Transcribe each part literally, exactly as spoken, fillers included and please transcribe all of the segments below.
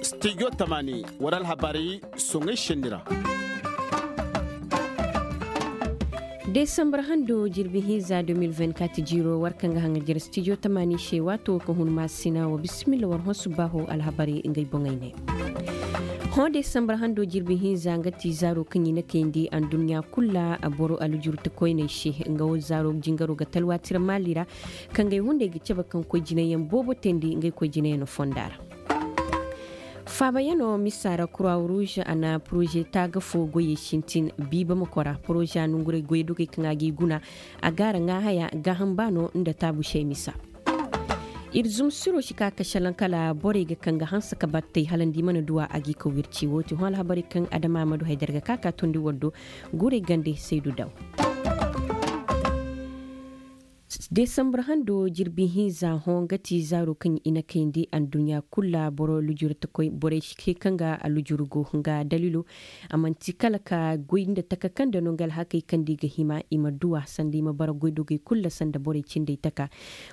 Stijo tamaani war alhabarey soŋey senni ra. Desambar hando jirbi hinza deux mille vingt-quatre jiiro war kaŋ ga haŋa jere stijo tamaani se waato wo ka hun maasina wa bisimilla war hõ subbaaho alhabarey ngey boŋey ne. Hõ desambar hando jirbi hinza nga ti zaaro kaŋ i na kayndi anduɲɲa kul ra boro alujurtakoyney se. Nga wo zaaro jingaro ga talwaati ra maali ra. Kaŋ gay hunday ga cabe kaŋ koy jinayaŋ boobo teendi ngey koy jinayaŋ fonda ra. Faabayaŋo misa ra kuraw ruuz a na poroze taaga fo goyey sintin. Biiba ma kora poroze a nongurey goydogey kaŋ a g'i guna. A gaara ŋaahaya gaaham baano nda taabu se misa. Ir zumsiro si ka ka šelaŋ kala borey ga kaŋ ga hanse ka battey hala nda i mana duw'a a g'i ka wirci woo ti hõ alhabarey kaŋ adama amadu haydar ga ka ka tondi war do. Guurey gande saydu daw. Desambar hando jirbi hinza hõ nga ti zaaro kaŋ i na kayndi anduɲɲa kul ra boro lujurtakoy borey se kaŋ ga alujur go nga daliilo. A man'ti kala ka goy nda taka kaŋ nda no nga alhakey kaŋ nda i ga hima i ma duw'a sanda i ma bara goydogey kul ra sanda borey cindey taka.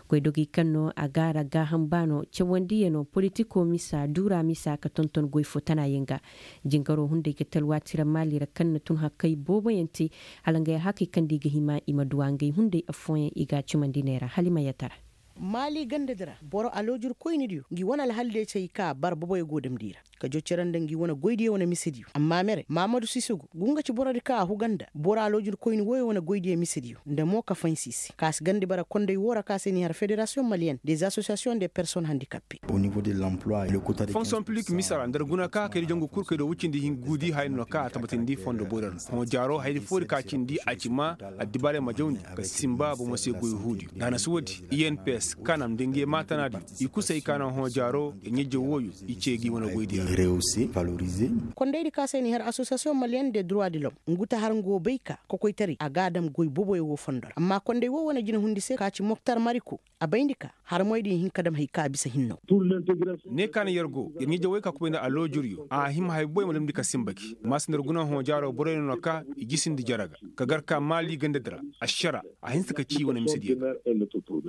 Goydogey kaŋ no a gaara gaaham baano cawandiyano politiko misa duura misa ka tonton goy fo tanayaŋ ga. Jingaro hunday ga talwaati ra maali ra kaŋ na tun hakkay booboyaŋ te. Hala ngey alhakey kaŋ nda i ga hima i ma duw'a ngey hunday affooyaŋ i g'a cumandi ne ra hala i ma yatara. Maali ganda di ra boro aloojirkoynidiyo ngi wane alhaldiyo cay ka bara boboyo go damndi i ra. Ka jo cere nda ngi wane goydiyo wane misediyo amma mere maamadu sisogu ngu nga ci borodi ka a huga nda boro aloojirkoyni wooyo wane goydiyo misediyo nda mo ka faynsi i se ka si gandi bara konday woo ra ka se n'i har federasiyoŋ maliyen des asosiyasiyoŋ de personnes handikappe. Fonksiyoŋ piblik misa ra nda ir guna ka kay nda jangu kul kay do woy cindi hinka guudi haya no ka a tabatindi fondo boyro ra. Hõ jaaro hayadi foodi ka cindi a ci maa addibaarey ma jawndi ka sinba bomo se goy huudi nda a na si woodi i n p s kanam nda ngey maatanaadiyo i kusay ka naŋ hõ jaaro ɲa-ije wooyo i ce gi wane goydiyo ra. Kondaydi ka se n'i har asosiyasiyoŋ maliyen de droit de lom ngu ta har ngo bay ka kokoytaray a g'a dam goy boboyo woo fondo ra amma konday woo wane jinahundi se ka ci moktar mariko a bayndi ka harmoydiyo hin ka dam hay ka bisa hinno. Ne ka na yer go yer ɲa-ije wooyo ka kubay nda aloojuryo a hima hay boboyo ma damndi ka sinba gi maasa nda ir guna hõ jaaro boroyo no na ka i jisindi jere ga ka gar ka maali gandadi ra. Ašara a hinsa ka cii wane misediyo ga.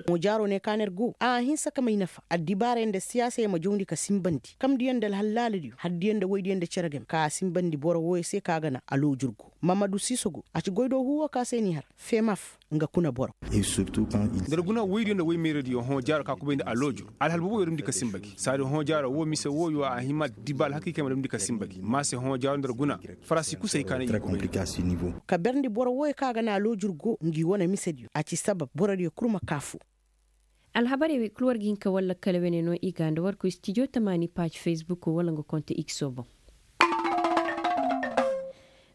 Hõ jaaro ne ka na ir go a hinsa ka may nafa addibaarey nda siyaasey ma jawndi ka sinbandi kamdiyo nda alhallaaladiyo hardiyo nda woydiyo nda cere game ka a sinbandi boro wooyo se ka a ga na aloojur go maamadu siiso go a ci goydoo huu woo ka se n'i har femaf. Nga kuna boro. Nda ir guna woydiyo nda woy meeradiyo hõ jaaro ka kubay nda aloojur alhal booboyo damndi ka sinba gi saadi hõ jaaro woo mise wooyo a hima diba alhakey kaŋ i ma damndi ka sinba gi maase hõ jaaro nda ir guna farasi kusay ka na i kubay. Ka berndi boro wooyo kaŋ a ga na aloojur go ngi wane misediyo a ci sabab borodiyo kul ma kaa fu. Alhabarey wey kul war ga hin ka walla kala wene no i ga nda war koy stijo tamaani paaj fesbuk walla nga konte ikso boŋ.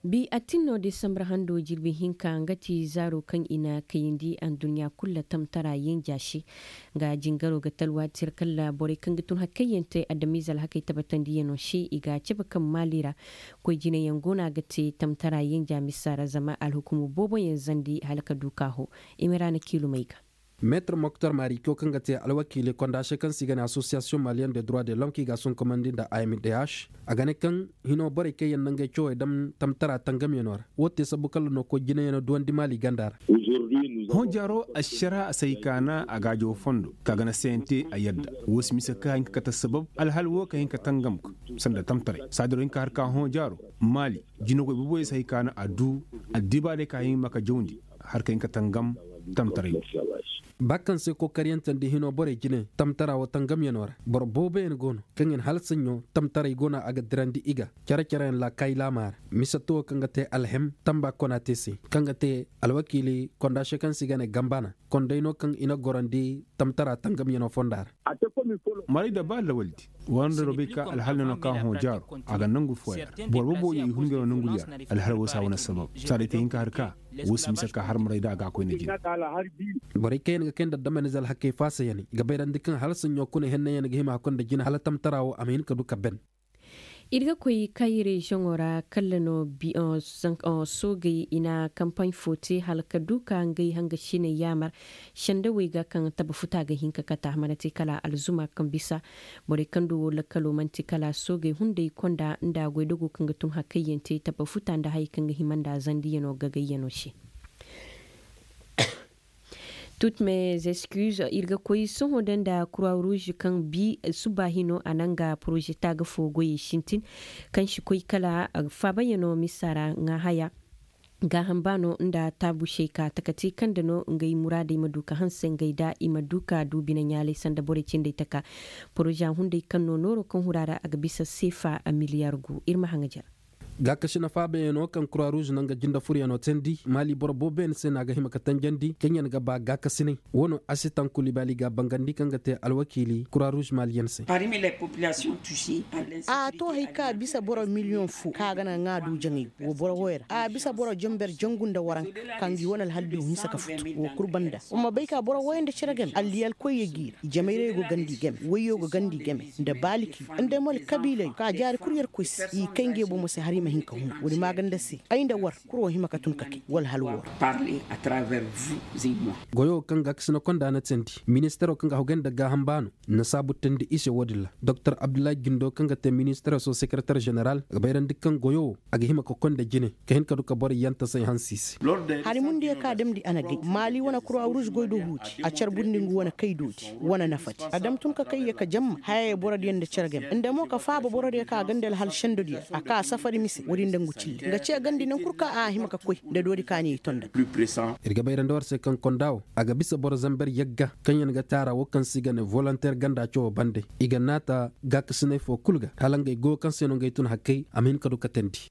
Bi attin no desambar hando jirbi hinka nga ti zaaro kaŋ i na kayandi anduɲɲa kul ra tamtara yenja se. Nga jingaro ga talwaati ra kala borey kaŋ ga tun hakkayyaŋ te adamiize alhakey tabatandiyano se i ga a cabe kaŋ maali ra. Koy jinayaŋ go no a ga te tamtara yenja misa ra zama alhukumu booboyaŋ zandi hala ka du ka hoo. Imiraana kiilumey ga. Meetir moktar maarico kaŋ ga te alwakiili konda se kaŋ se i ga ne asosiyasiyoŋ maliyen de droit de lom kaŋ i ga a sonkomandi nda a m d h. A ga ne kaŋ hino borey kaŋ yaŋ na ngey cawey dam tamtara tangamyano ra woo te sabu kala no koy jinayaŋo duwandi maali ganda ra. Hõ jaaro ašara a si hay ka na a gaajo fondo ka ga na sayante a yadda. Woo si mise ka hin ka kate sabab alhal woo ka hin ka tangam ga sanda tamtaray saadiro hin ka har ka hõ jaaro maali jinagoy boboyo si hay ka na a du addibaarey ka hin ma ka jawndi. Har ka hin ka tangam tamtaray. Ba kaŋ se kokariyante nda hino borey jine tamtara wo tangamyano ra boro booboyaŋ go no kaŋ yaŋ hala saɲɲo tamtaray go no a ga dirandi i ga care-careyaŋ laakaayi laamaa ra. Mise to wo kaŋ ga te alhem tamba kona te se kaŋ ga te alwakiili konda se kaŋ se i ga ne gambana konday no kaŋ i na gorandi tamtara tangamyano fonda ra. Maray da ba lawaldi war nda robey ka alhal no ka hõ jaaro a ga nangu fooya ra boro booboyo i hunde no nangu diya ra. Alhal woo si a wane sabab saadey te hin ka har ka woo si mise ka har maray da a ga a koyne jine. Borey kaŋ yaŋ ga kay nda damanize alhakey faasa yaŋ i ga bayrandi kaŋ hala saɲɲo kuna henne yaŋ ga hima hakkoy nda jine hala tamtara wo a ma hin ka du ka ben. Ir ga koy kaayi reziyoŋo ra kala no soogey i na kampaɲ fo te hala ka du ka ngey hangasiney yaamar sendawey ga kaŋ tabafuta ga hin ka kata a mana te kala alzuma kaŋ bisa. Borey kaŋ du wo lakkalo man'ti kala soogey hunday konda nda goydogo kaŋ ga tun hakkayyaŋ te tabafuta nda hayey kaŋ ga hima nda zandiyaŋo gagayyano se. Tut mes excuses ir ga koy sohõ da nda croix rouge kaŋ bi suba hino a na nga poroze taaga fo goyey sintin, kaŋ si koy kala faabayaŋo misa ra ŋaa haya. Gaaham baano nda taabu sey ka takati kaŋ nda no ngey muraadey ma du ka hanse ngey da i ma du ka du bine ɲaalay sanda borey cindey taka. Poroza hunday kaŋ no nooro kaŋ hura ra a ga bisa seefa a miliyar gu ir ma haŋajer. Gaakasi na faabayaŋo kaŋ croix rouge na nga jinde furyaŋo teendi maali boro booboyaŋ se no a ga hima ka tanjandi kaŋyaŋ ga ba gaakasinay. Wo no a si tanku libaali ga a bangandi kaŋ ga te alwakiili croix rouge maali yaŋ se. A to hari ka bisa boro miliyoŋ fo kaŋ a ga naŋ a du jaŋay wo boro wooyo ra a bisa boro jenber jangu nda waranka kaŋ ga i wane alhal diyo hinsa ka futu wo kul banda wa ma bay ka boro wooyo nda cere game alliyal koyyo g'i ra i jamayrayo ga gandi game wayyo ga gandi game nda baaliki nda mol kabiilayo ka jaari kul yer koy se i kay ngey bomo se har i ma hin ka hun woodi maaganda se ay nda war kul wo hima ka tun ka kay wala hal woo ra. Goyo kaŋ ga a kasina konda na teendi ministeero kaŋ ga a hogay nda gaaham baano na saabu teendi i se woodin ra. Doktor abdullahi jindo kaŋ ga te ministeero so sekereter jeneral a ga bayrandi kaŋ goyo wo a ga hima ka konda jine ka hin ka du ka boro yantasay hanse i se. Hari mundiyo ka a damndi a na gay maali wane kura ruuz goy do huuti a carbundi ngu wane kay doodi wane nafadi a dam tun ka kay ya ka jamma hayay borodiyo nda care game nda mo ka faaba borodiyo ka a gandi alhal sendodiyo a ka safari mise woodi nda ngu cille nga ce gandi nankul ka a hima ka koy nda doodi ka ni i tonda. Ir ga bayrandi war se kaŋ konda wo a ga bisa boro zamber yagga kaŋyaŋ ga te a ra wo kaŋ se i ga ne volonter ganda cawo bande i ga naata gaakasinay fo kul ga hala ngey goyo kaŋ se no ngey tun hakkey a ma hin ka du ka teendi.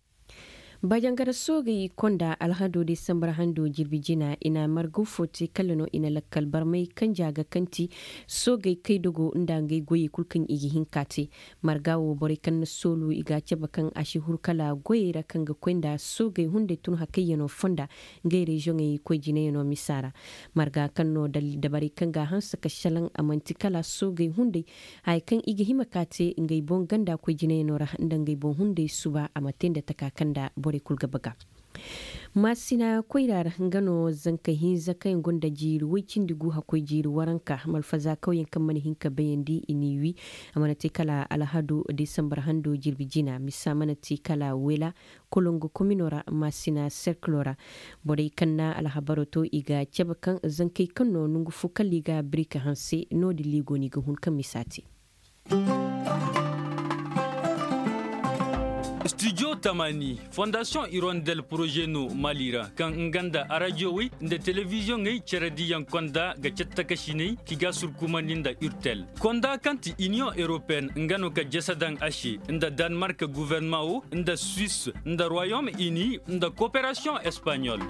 Bajangara soogey konda alhado desambar hando jirbi jina i na margaw fo te kala no i na lakkal barmay kanja ga kaŋ ti soogey kaydogo nda ngey goyey kul kaŋ i ga hin ka te. Marga wo borey kaŋ na soolu i ga a cabe kaŋ a si huru kala goyey ra kaŋ ga koy nda soogey hunday tun hakayyaŋo fonda ngey reziyoŋey koy jinayaŋo misa ra. Marga kaŋ no dabarey kaŋ ga a hanse ka salaŋ a man'ti kala soogey hunday haya kaŋ i ga hima ka te ngey boŋ ganda koy jinayaŋo ra nda ngey boŋ hunday suba a ma te nda taka kaŋ nda borey kul ga baga. Maasina koyra ra nga no zanka hinza kaŋ yaŋ gonda jiiri woy cindi gu hakkoy jiiri waranka malfaza kawyaŋ kaŋ mana hin ka bayandi i n'i wi. A mana te kala alhadu desambar hando jirbi jina misa mana te kala wela kolongo komino ra maasina serkilo ra. Borey kaŋ na alhabaro to i ga cabe kaŋ zankey kaŋ no nongu fo kala i ga birika hanse no- din liigo no i ga hun kaŋ misa te. Studio tamani fondasiyoŋ irondel poroze no mali ra kaŋ nga nda arajiyowey nda telebiziyoŋey cere diyaŋ konda ga cattakasiney ki ga surkumandi nda urtel konda kaŋ ti iniyoŋ europeyen nga no ka jese daŋ a se nda danmark guverneman wo nda suwis nda royom ini nda koperasiyoŋ espanyol.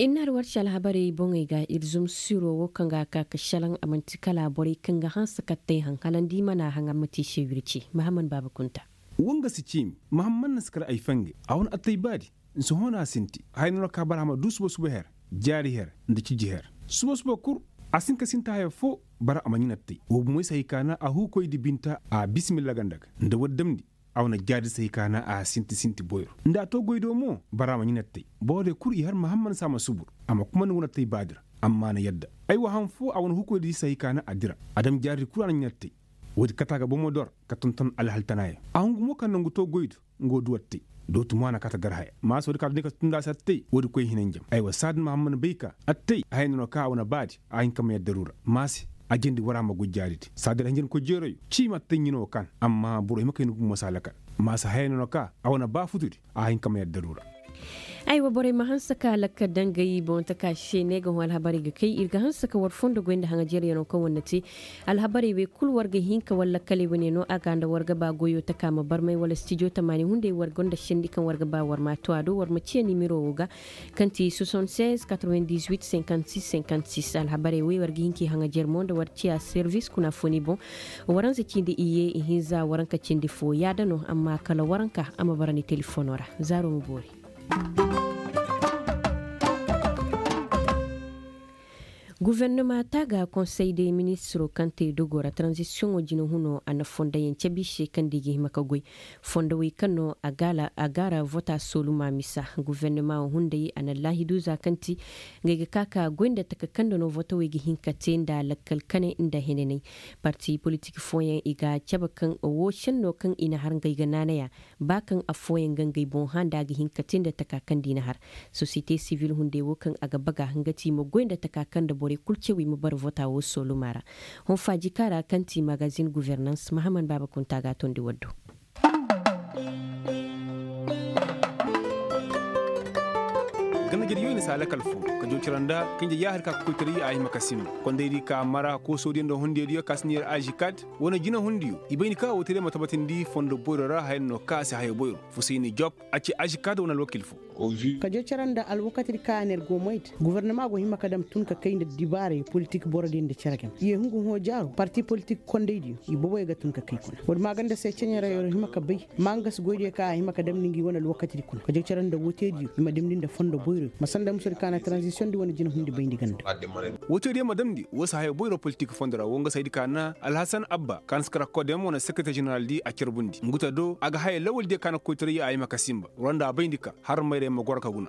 Ir na har war ci alhabarey boŋey ga ir zumsiro wo kaŋ ga a ka ka šelaŋ a man'ti kala borey kaŋ ga hanse kattey haŋ hala nda i mana haŋ a ma te i se wirci mahamman baaba kunta. Woo nga si ciimi mahamman na si kar ay fangay a wane attay baadi. Nsohõ no a sinti haya no no ka bara a ma duu suba suba her jaari her nda ciji her. Suba suba kul a si hin ka sinti haya foo bara a ma ɲin attay woo bumoy si hay ka na a huukoydi binta a bismilla ganda ga nda war damndi. A wane jaari si hay ka na a sinti sinti boyro nda a too goydo mo bara a ma ɲin attay. Borodiyo kul i har mahamman se a ma subur a ma kumandi wane attay baadi ra. Amma a na yadda aywa han foo a wane huukoydi si hay ka na a dira a dam jaaridi kul a na ɲin attay. Woodi kate a ga bomo dor ka tonton alhal tanaayaŋ a hungu mo ka nongu too goydo. Nga wo du attay dootu mo a na kaate gar haya maase woodi ka a duni ka tunda a se attay woodi koy hinanjam aywa saadin mahamman bay ka attay haya no no ka a wane baadi a hin ka may addaru ra maase. A jandi war a ma goy jaaridi saadin hinjankoy jeerayo ciima attay ɲino kaan amma boro hima kay ni gumo se a lakal. Maase haya no no ka a wane ba futudi a hin ka may addaru ra. Aywa borey ma hanse ka lakkal dangey boŋ taka se ne ga hõ alhabarey ga kay ir ga hanse ka war fondo goy nda haŋajeryano kaŋ war na te. Alhabarey wey kul war ga hin ka war lakkaley wane no a ga nda war ga ba goyo taka ma barmay wala stijo tamaani hunday war gonda sendi kaŋ war ga ba war ma a to a do war ma ciya nimero wo ga kaŋ ti soixante-seize quatre-vingt-dix-huit cinquante-six cinquante-six alhabarey wey war ga hin k'i haŋajer mo nda war ciya servis kuna foni boŋ. Waranza cindi iyye ihinza waranka cindi fo yaada no amma kala waranka a ma bara ni telefono ra. Zaaro ma boori. Gufernama taaga konsey de ministiroo kaŋ te dogoo ra taranzisiyoŋoo jinahunoo a na fondoyaŋ cabe i se kaŋ nda i ga hima ka goy. Fondowey kaŋ no a gaara vota soolumaa misa, gufernama wo hunday a na laahidu za kaŋ ti ngey ga ka ka goy nda taka kaŋ nda no votowey ga hin ka te nda lakkal kanay nda henanay. Parti politik fooyaŋ i ga cabe kaŋ woo senno kaŋ i na har ngey ga naanaya, ba kaŋ affooyaŋ ga ngey boŋ hã nda a ga hin ka te nda taka kaŋ nda i na har. Sosiyete sivil hunday woo kaŋ a ga baga nga ti i ma goy nda taka kaŋ nda borey kul cawey ma bara vota woo soolumaa ra. Honfaaji kaa ra kaŋ ti magazin guvernans mahaman baaba kunta ga a tondi war do. Ganda jari yoy na saa lakal fo ka jawcara nda kaŋ ja yaahar ka koytaray a hima ka sinba kondaydi ka mara koosodiyo nda hundiyadiyo ka si ne yer ažikaad wane jinahundiyo i bayndi ka woo tee day ma tabatindi fondo boyro ra haya no ka a si haya boyro. Fusayni job a ci ažikaad wane alwakil fo. Ka jawcara nda alwakatidi ka a na yer go moy da gubernama go hima ka dam tun ka kay nda dibaarey politik borodiyo nda cere game i ye hungu hõ jaaro parti politik kondaydiyo i boboyo ga tun ka kay kuna woodi maaganda se ceɲeray yer hima ka bay. Mangas goydiyo ka a hima ka damndi ngi wane alwakatidi kuna ka jaw care nda woo teediyo i ma damndi nda fondo boyroyo ma sanda musadi ka na taranzisiyondi wane jinahundi bayndi ganda. Woo teediyo ma damndi woo si haya boyro politik fondo ra woo nga saydi ka na alhasan abba ka na si kara kodem wane sekreter ženeraldi a carbundi ngu ta do a ga haya lawaldiyo ka na koytaray a hima ka sinba. War nda a bayndi ka har mayray ma goro ka guna.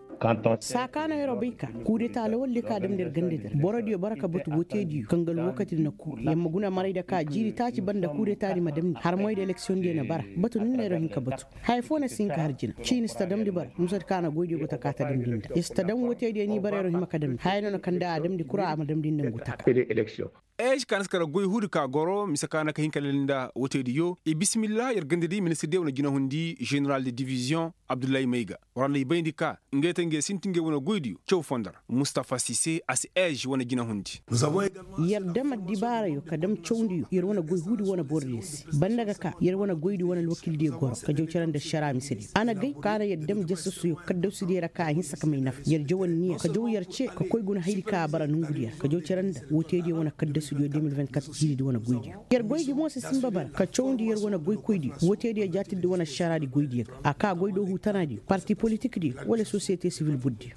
Saa ka no yer'o bay ka kuudeta lawaldiyo ka damndi yer gandadi ra borodiyo bara ka batu woo teediyo kaŋ ga alwakatidi na kuu yer ma guna marayda ka jiiri taaci banda kuudetadi ma damndi har moyda eleksiyondiyo na bara. Batu ni no yer'o hin ka batu haya foo na si hin ka har jina ciini si ta damndi bara musadi ka na goydiyo go taka ta damndi nda yer si ta dam woo teediyo ni bara yer'o hima ka damndi haya no na kaŋ da a damndi kura a ma damndi nda ngu taka. Eez ka na si kara goy huudi ka goro mise ka na ka hin ka lali nda woo teediyo i bismillah yer gandadi ministirdiyo wane jinahundi ženeral de diviziyoŋ abdullahi mayga. War nda i bayndi ka ngey te ngey sinti ngey wane goydiyo caw fondo ra mustafa sise a si eez wane jinahundi. Yer dam addibaarayo ka dam cawndiyo yer wane goy huudi wane borodiyo se banda ga ka yer wane goydi wane alwakildiyo goro ka jaw care nda ašaraa misediyo a na gay ka na yer dam jasasuyo kaddasudiyo ra ka a hinsa ka may nafa yer jaw anniya ka jaw yer ce ka koy guna hayadi ka a bara nongudi yer ka jaw care nda woo teediyo wane kaddasudiyo de mil vingt-quatre jiiridi wane goydiyo. Yer goy gi mo si sinba bara ka cawndi yer wane goykoydiyo woo teediyo jaatirdi wane ašaraadi goydiyo ga a ka goy do huutanaadiyo parti politikdiyo wala sosiyete sivil burdiyo.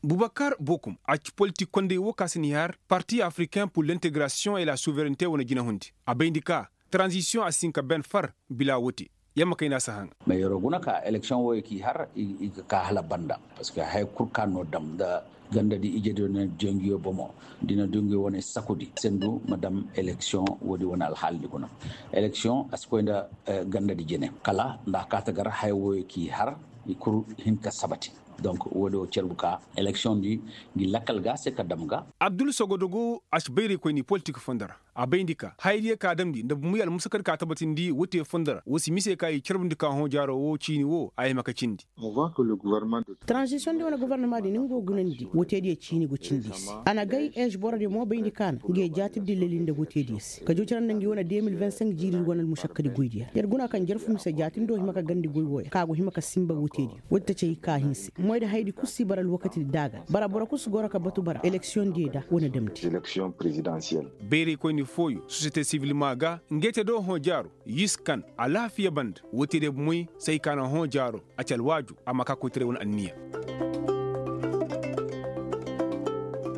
Bubakar bokum a ci politik kondey woo ka si ni har parti africain pur l'integrasiyoŋ et la suverente wane jinahundi a bayndi ka taranzisiyoŋ a si hin ka ben far bila woo te. Yer ma kayna si haŋa. Mais yer'o guna ka eleksiyoŋ wooyo k'i har i ga ka hala banda parceque haya kul ka no dam nda gandadi ijediyo na du ngiyo bomo da i na du ngiyo wane sakudi sendu ma dam eleksiyoŋ woodi wane alhaalidi guna. Eleksiyoŋ a si koy nda gandadi jine kala nda a kaata gar haya wooyo k'i har i kul hin ka sabati. Donc woodi woo cerbu ka eleksiyoŋdi ngi lakkal ga a se ka dam ga. Abdul sogodogo a si bayraykoyni politik fondo ra a bayndi ka hayadiyo ka damndi nda bumey almusakadi ka tabatindi woo te fondo ra woo si mise ka i carbundi ka hõ jaaro woo ciini woo a hima ka cindi. Taranzisiyoŋ di wane gubernamaadi ni nga go gunandi woo teediyo ciini go cindi i se a na gay eez borodiyo mo bayndi ka na nga ye jaatirdi lali nda woo teediyo se ka jaw care nda ngi wane de mil vingt-cinq jiiridi wane almusakkadi goydiyo ra yer guna kaŋ jarfu mise jaatindi woo hima ka gandi goy wooyo ka go hima ka sinba woo teediyo woodi ta cay ka hinse moy da hayadi kul si bara alwakatidi daaga bara boro kul si goro ka batu bara eleksiyoŋdiyo da wane damndi. Bayraykoyni fooyo sosiyete sivil maa ga ngey te do hõ jaaro yiskan alaafiya banda woo teediyo bomoy say ka na hõ jaaro a ci alwaaju a ma ka koytaray wane anniya.